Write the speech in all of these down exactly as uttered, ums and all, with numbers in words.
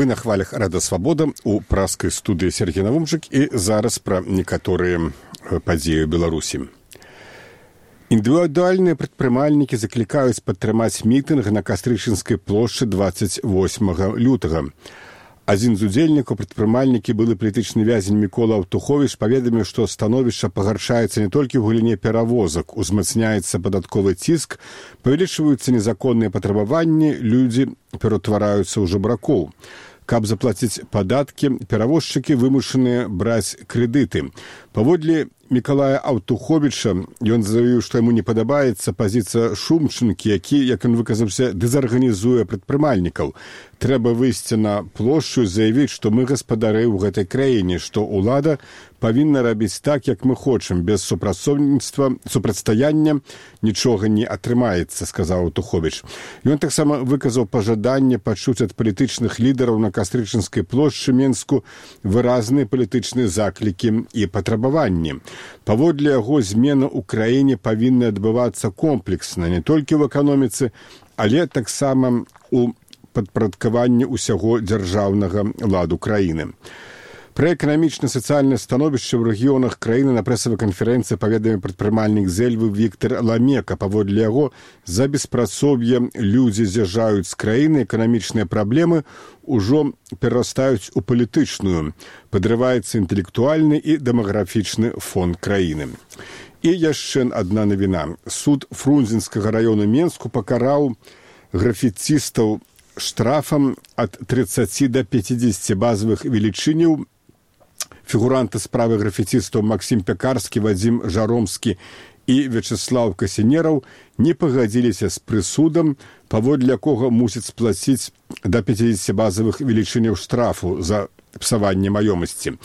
Вы на хвалях Рада Свабода у праскай студыі Сергей Навумчык і зараз пра некаторыя падзеі ў Беларусі. Індывідуальныя прадпрымальнікі заклікаюць падтрымаць мітынг на Кастрычынскай плошчы дваццаць восьмага лютага. Адзін з удзельнікаў прадпрымальнікі, былы палітычны вязень Мікола Аўтуховіч, паведаміў, што становішча пагаршаецца не толькі ў галіне перавозак, узмацняецца падатковы ціск, павялічваюцца незаконныя патрабаванні, людзі ператвараюцца ў жабракоў. Каб заплаціць падаткі, перавозчыкі вымушаныя браць крэдыты. Паводле Мікалая Аўтуховіча, ён заявіў, што яму не падабаецца пазіцыя Шумчынкі, які, як ён выказаўся, дэзарганізуе прадпрымальнікаў. Трэба выйсці на плошчу і заявіць, што мы гаспадары ў гэтай краіне, што ўлада павінна рабіць так, як мы хочам, без супрацоўніцтва, супрацьстаяння нічога не атрымаецца, сказаў Аўтуховіч. Ён таксама выказаў пажаданне пачуць ад палітычных лідараў на Кастрычынскай плошчы Менску выразныя палітычныя заклікі і патрабаванні. Паводле яго, змена ў краіне павінна адбывацца комплексна, не толькі ў эканоміцы, але таксама ў падпарадкаванні ўсяго дзяржаўнага ладу краіны. Пра эканамічна-сацыяльнае становішча ў рэгіёнах краіны на прэсавай канферэнцыі паведаміў прадпрымальнік з Эльвы Віктар Ламека. Паводле яго, за беспрацоўе людзі з'язджаюць з краіны, эканамічныя праблемы ўжо перарастаюць у палітычную. Падрываецца інтэлектуальны і дэмаграфічны фон краіны. І яшчэ адна навіна. Суд Фрунзенскага раёну Менску пакараў графіцістаў штрафам ад трыццаці да пяцідзесяці базавых велічыняў. Фігуранты справы графіцістаў Максім Пякарскі, Вадзім Жаромскі і Вячеслав Касінераў не пагадзіліся з прысудам, паводле якога мусяць сплаціць да пяцідзесяці базавых велічыняў штрафу за псаванне маёмасці.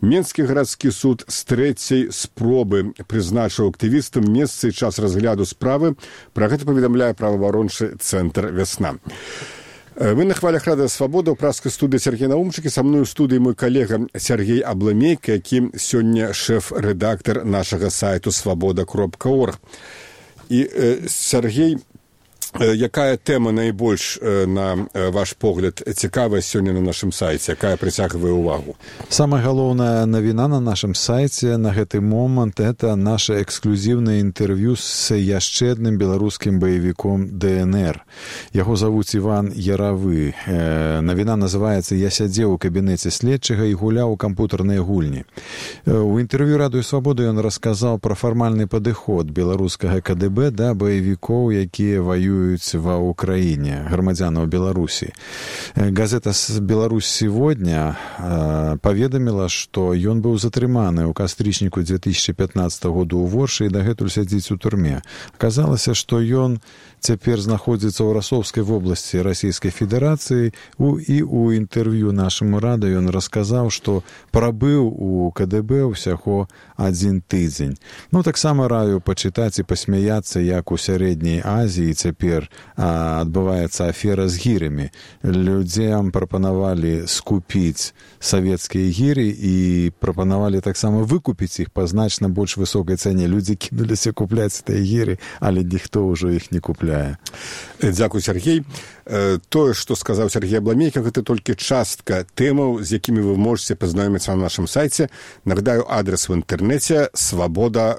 Менскі гарадскі суд з трэцяй спробы прызначыў актывістам месца і час разгляду справы. Пра гэта паведамляе праваабарончы цэнтр «Вясна». Вы на хвалях Рада Свабода ў праскай студыі Сергей Навумчык, і са мной у студыі мой калега Сергей Абламейка, які сёння шэф-рэдактар нашага сайту свабода кропка орг. І, Сергей, якая тэма найбольш, на ваш погляд, цікавая сёння на нашым сайце, якая прыцягвае ўвагу? Самая галоўная навіна на нашым сайце на гэты момант — это наше эксклюзіўнае інтэрв'ю з яшчэ адным беларускім баевіком дэ эн эр. Яго завуць Іван Яравы. Навіна называецца «Я сядзеў у кабінеце следчага і гуляў у кампутарныя гульні». У інтэрв'ю Радыё Свабода ён расказаў пра фармальны падыход беларускага ка дэ бэ да баевікоў, якія ваююць ва ўкраіне, грамадзянаў Беларусі. Газета «Беларусь сегодня» паведаміла, што ён быў затрыманы ў кастрычніку дзве тысячы пятнаццатага году ў Воршы і дагэтуль сядзіць у турме. Аказалася, што ён цяпер знаходзіцца ў Расоўскай вобласці Расійскай Федэрацыі, і ў інтэрв'ю нашаму Рада ён расказаў, што прабыў у ка дэ бэ ўсяго адзін тыдзень. Ну, таксама раю пачытаць і пасмяяцца, як у Сярэдняй Азіі цяпер адбываецца афера з гірамі. Людзям прапанавалі скупіць савецкія гіры і прапанавалі таксама выкупіць іх па значна больш высокай цане. Людзі кінуліся купляць тыя гіры, але ніхто ўжо іх не купляе. Дзякуй, Сергей. Тое, што сказаў Сергей Абламейка, гэта толькі частка тэмаў, з якімі вы можаце пазнаёміцца на нашым сайце. Нагадаю, адрес в інтэрнэце свабода